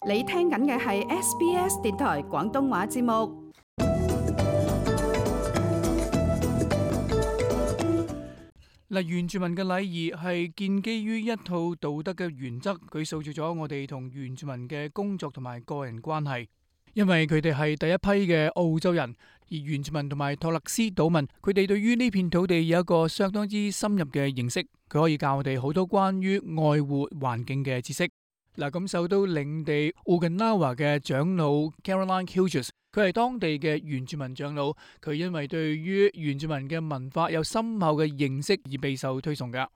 你聽緊嘅係 SBS 電台廣東話節目。原住民嘅禮儀係建基於一套道德嘅原則，佢塑造咗我哋同原住民嘅工作同埋個人關係。因為佢哋係第一批嘅澳洲人，而原住民同埋托勒斯島民，佢哋對於呢片土地有一個相當之深入嘅認識，佢可以教我哋好多關於愛護環境嘅知識。咁受到領地 Uganawa 嘅長老 Caroline Hughes， 佢係當地嘅原住民長老，佢因為對於原住民嘅文化有深厚嘅認識而備受推崇㗎。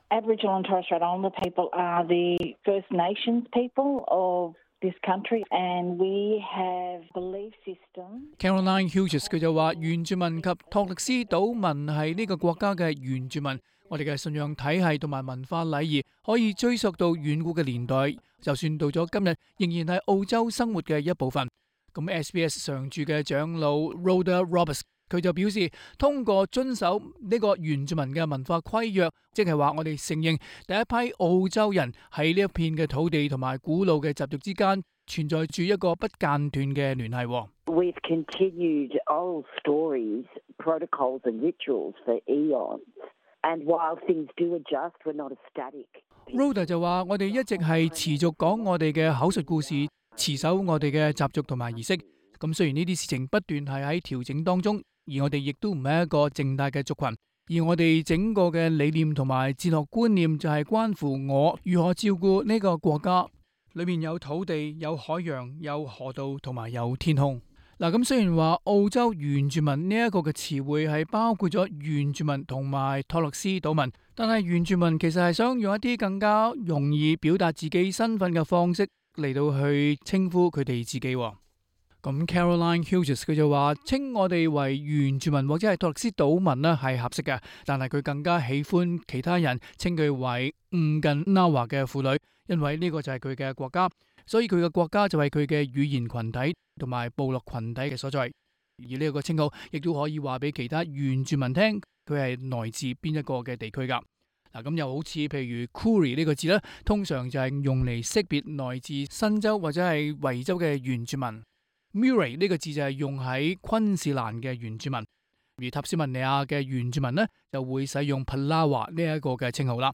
Aboriginal and Torres Strait Islander people are the First Nations people of this country, and we have belief system. Caroline Hughes 佢就話：原住民及托勒斯島民係呢個國家嘅原住民，我哋嘅信仰體系同埋文化禮儀可以追溯到遠古嘅年代，就算到咗今日，仍然係澳洲生活嘅一部分。咁 SBS 常駐嘅長老 Rhoda Roberts 佢就表示，通過遵守呢個原住民嘅文化規約，即係話我哋承認第一批澳洲人喺呢一片嘅土地同埋古老嘅習俗之間存在住一個不間斷嘅聯繫。We've continued old stories, protocols and rituals for eons, and while things do adjust, we're not static. Rhoda 就話：我哋一直係持續講我哋嘅口述故事，持守我哋嘅習俗同埋儀式。咁雖然呢啲事情不斷係喺調整當中，而我哋亦都唔係一個靜大嘅族群，而我哋整個嘅理念同埋哲學觀念就係關乎我如何照顧呢個國家。裏面有土地、有海洋、有河道同埋有天空。咁雖然話澳洲原住民呢一個嘅詞彙係包括咗原住民同埋托勒斯島民，但係原住民其實係想用一啲更加容易表達自己身份嘅方式嚟到去稱呼佢哋自己。咁 Caroline Hughes 佢就話稱我哋為原住民或者係托勒斯島民呢係合適嘅，但係佢更加喜歡其他人稱佢為Uganawa嘅婦女，因為呢個就係佢嘅國家，所以佢嘅國家就係佢嘅語言群體同埋部落群體嘅所在。而呢個稱號亦都可以話俾其他原住民聽，佢係來自邊一個嘅地區噶。咁又好似譬如 Koori 呢個字呢，通常就係用嚟識別來自新州或者係維州嘅原住民。Murray 呢個字就係用喺昆士蘭嘅原住民，而塔斯曼尼亞嘅原住民呢，就會使用 Palawa 呢一個嘅稱號啦。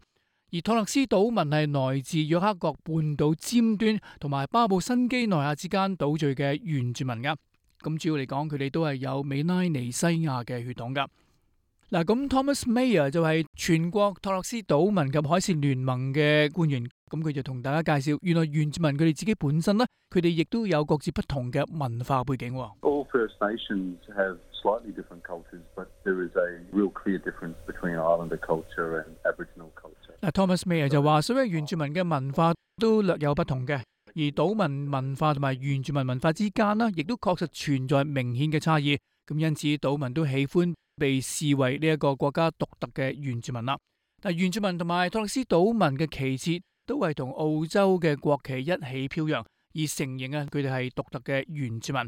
而托勒斯島民係來自約克角半島尖端同埋巴布新畿內亞之間島嶼嘅原住民噶。咁主要嚟講，佢哋都係有美拉尼西亞嘅血統噶。咁 Thomas Mayer 就係全國托勒斯島民及海事聯盟嘅官員，咁佢就同大家介紹，原來原住民佢哋自己本身呢，佢哋亦都有各自不同嘅文化背景。All First Nations have slightly different cultures, but there is a real clear difference between Islander culture and Aboriginal culture. Thomas Mayer 就話，所有原住民嘅文化都略有不同嘅，而島民文化同埋原住民文化之間呢，亦都確實存在明顯嘅差異。咁因此，島民都喜歡被視為呢一個國家獨特嘅原住民啦。但原住民同埋托勒斯島民嘅旗幟都係同澳洲嘅國旗一起飄揚，而承認佢哋係獨特嘅原住民。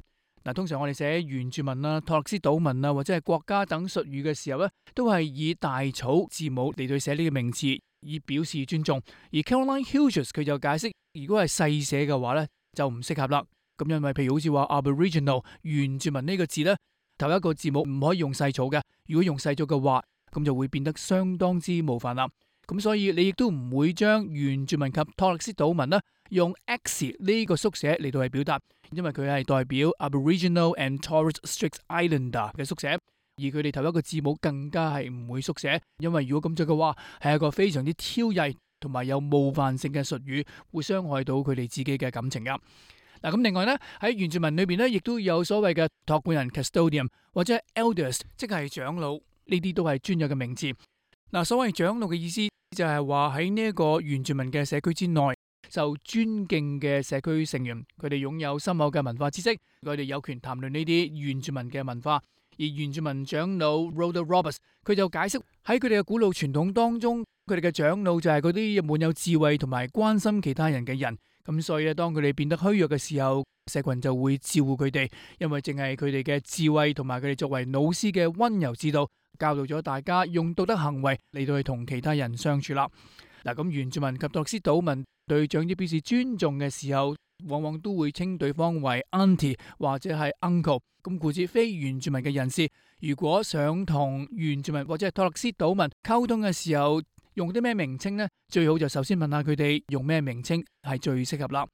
通常我哋寫原住民啦、托勒斯島民啦或者係國家等術語嘅時候呢，都係以大草字母嚟到寫呢個名詞，以表示尊重。而 Caroline Hughes 佢就解釋，如果係細寫嘅話呢，就唔適合啦。咁因為譬如好似話 Aboriginal 原住民呢個字呢，頭一個字母唔可以用細草嘅，如果用細草嘅話，咁就會變得相當之冒犯啦。咁所以你亦都唔會將原住民及托勒斯島民呢用 X 呢個縮寫嚟到去表達，因為佢係代表 Aboriginal and Torres Strait Islander 嘅縮寫，而佢哋頭一個字母更加係唔會縮寫，因為如果咁做嘅話，係一個非常之挑釁同埋有冒犯性嘅術語，會傷害到佢哋自己嘅感情噶。咁另外呢，喺原住民裏邊呢，亦都有所謂嘅託管人 custodian 或者 elders， 即係長老，呢啲都係專有嘅名詞。所謂長老嘅意思就係話喺呢一個原住民嘅社區之內，受尊敬嘅社區成員，佢哋擁有深厚嘅文化知識，佢哋有權談論呢啲原住民嘅文化。而原住民長老 Rhoda Roberts 佢就解釋喺佢哋嘅古老傳統當中，佢哋嘅長老就係嗰啲滿有智慧同埋關心其他人嘅人。咁所以咧，當佢哋變得虛弱嘅時候，社群就會照顧佢哋，因為淨係佢哋嘅智慧同埋佢哋作為老師嘅溫柔之道，教導咗大家用道德行為嚟到去同其他人相處啦。咁原住民及托勒斯島民對長者表示尊重嘅時候，往往都會稱對方為 auntie 或者係 uncle。咁故此非原住民嘅人士，如果想同原住民或者係托勒斯島民溝通嘅時候，用啲咩名稱呢？最好就首先問下佢哋用咩名稱係最適合啦。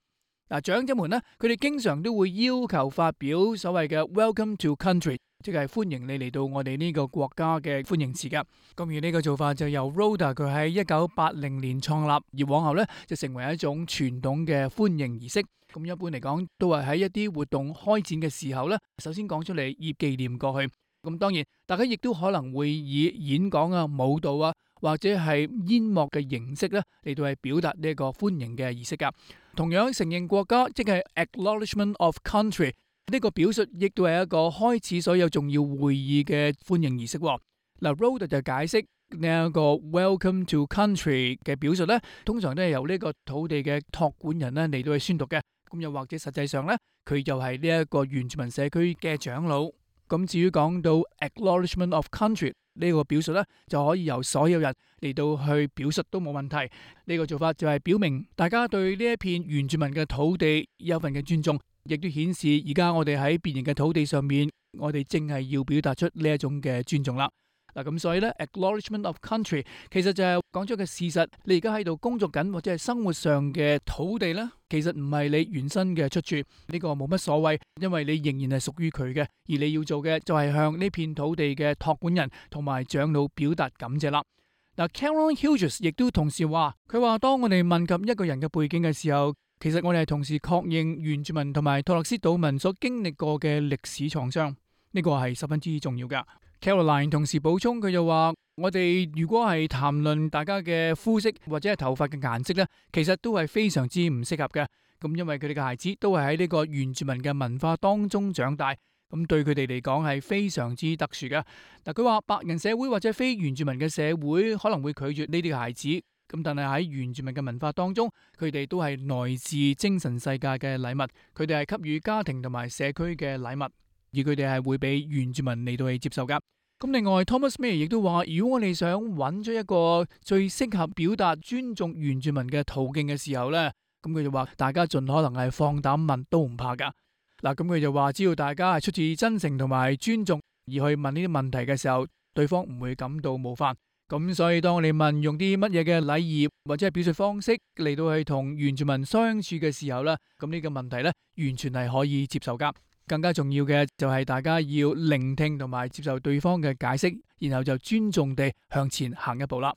嗱，長者們呢，佢哋經常都會要求發表所謂嘅 Welcome to Country， 即係歡迎你嚟到我哋呢個國家嘅歡迎詞噶。咁而呢個做法就由 Rhoda 佢喺1980年創立，而往後呢就成為一種傳統嘅歡迎儀式。咁一般嚟講，都係喺一啲活動開展嘅時候呢，首先講出嚟以紀念過去。咁當然，大家亦都可能會以演講啊、舞蹈啊，或者係煙幕嘅形式咧嚟到係表達呢一個歡迎嘅儀式噶。同樣承認國家，即係 Acknowledgement of Country 呢個表述，亦都係一個開始所有重要會議嘅歡迎儀式。嗱，Rhoda 就解釋呢一個 Welcome to Country 嘅表述咧，通常都係由呢個土地嘅託管人咧嚟到去宣讀嘅。咁又或者實際上咧，佢就係呢一個原住民社區嘅長老。咁至於講到 Acknowledgement of Country 呢個表述咧，就可以由所有人嚟到去表述都冇問題。呢個做法就係表明大家對呢一片原住民嘅土地有份嘅尊重，亦都顯示而家我哋喺別人嘅土地上面，我哋正係要表達出呢一種嘅尊重啦。嗱，咁所以咧 Acknowledgement of Country 其實就係講咗個事實，你而家喺度工作緊或者係生活上嘅土地咧，其實唔係你原生嘅出處，呢個冇乜所謂，因為你仍然係屬於佢嘅，而你要做嘅就係向呢片土地嘅託管人同埋長老表達感謝啦。嗱，Caroline Hughes 亦都同時話，佢話當我哋問及一個人嘅背景嘅時候，其實我哋係同時確認原住民同埋托勒斯島民所經歷過嘅歷史創傷，呢個係十分之重要噶。Caroline 同時補充，佢就話我哋如果係談論大家嘅膚色或者係頭髮嘅顏色呢，其實都係非常之唔適合嘅。咁因為佢哋嘅孩子都係喺呢個原住民嘅文化當中長大，咁對佢哋嚟講係非常之特殊嘅。嗱，佢話白人社會或者非原住民嘅社會可能會拒絕呢啲嘅孩子，咁但係喺原住民嘅文化當中，佢哋都係來自精神世界嘅禮物，佢哋係給予家庭同埋社區嘅禮物。而佢哋係會俾原住民嚟到去接受噶。咁另外 Thomas May 亦都話，如果我哋想揾出一個最適合表達尊重原住民嘅途徑嘅時候呢，咁佢就話大家盡可能係放膽問都唔怕噶。嗱，咁佢就話只要大家係出自真誠同埋尊重而去問呢啲問題嘅時候，對方唔會感到冒犯。咁所以當我哋問用啲乜嘢嘅禮儀或者係表述方式嚟到去同原住民相處嘅時候呢，咁呢個問題呢，完全係可以接受噶。更加重要嘅就係大家要聆聽同埋接受對方嘅解釋，然後就尊重地向前行一步啦。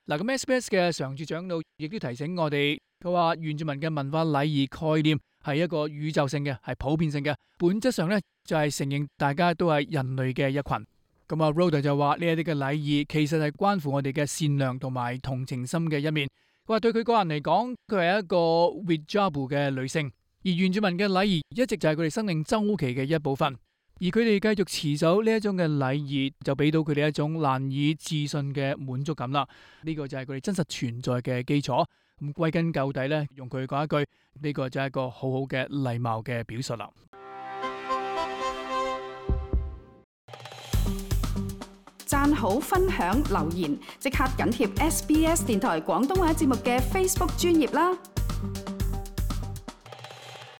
嗱，咁 SBS 嘅常駐長老亦都提醒我哋，佢話原住民嘅文化禮儀概念係一個宇宙性嘅，係普遍性嘅，本質上咧就係承認大家都係人類嘅一群。咁啊 Rhoda 就話呢一啲嘅禮儀其實係關乎我哋嘅善良同埋同情心嘅一面。佢話對佢個人嚟講，佢係一個 Wijabu 嘅女性。而原住民嘅禮儀一直就係佢哋生命周期嘅一部分，而佢哋繼續持守呢一種嘅禮儀，就俾到佢哋一種難以置信嘅滿足感啦。呢個就係佢哋真實存在嘅基礎。咁歸根究底咧，用佢講一句，呢個就係一個好好嘅禮貌嘅表述啦。讚好、分享、留言，即刻緊貼SBS 電台廣東話節目嘅 Facebook 專頁啦。